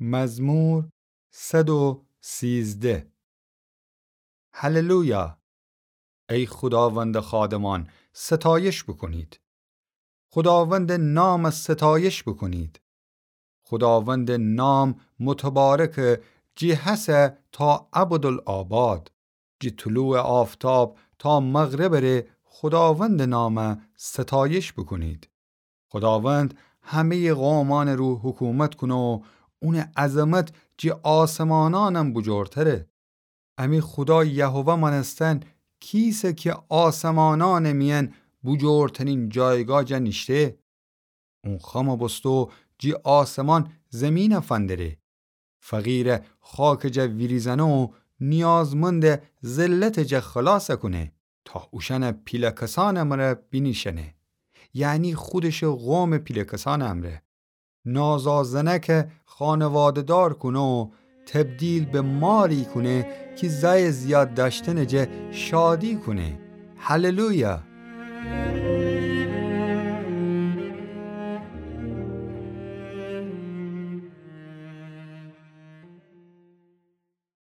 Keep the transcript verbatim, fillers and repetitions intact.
مزمور صد و سیزده. هللویا! ای خداوند خادمان، ستایش بکنید. خداوند نام ستایش بکنید. خداوند نام متبارک، جی هسه تا ابدالآباد. جی طلوع آفتاب تا مغرب ره خداوند نام ستایش بکنید. خداوند همهٔ قومانٚ رو حکومت کونه و اونٚ عظمت جی آسمانانم بجورتره. امی خدا یهوه مانستن کیسه که آسمانانٚ میأن بجورترین جایگاه جا نیشته. اون خم بوسته و جی آسمان زمین فندره. فقیر خاک جا ویریزنه و نیازمند ذلت جا خلاص کونه، تا اوشأن پیله کسانٚ امرأ بینیشأنه، یعنی خودشٚ قومٚ پیله کسانٚ امرأ. نازا زنک خانواده‌دار کونه و تبدیل به ماری کونه کی زأی زیاد دأشتنٚ جا شادی کونه. هللویا!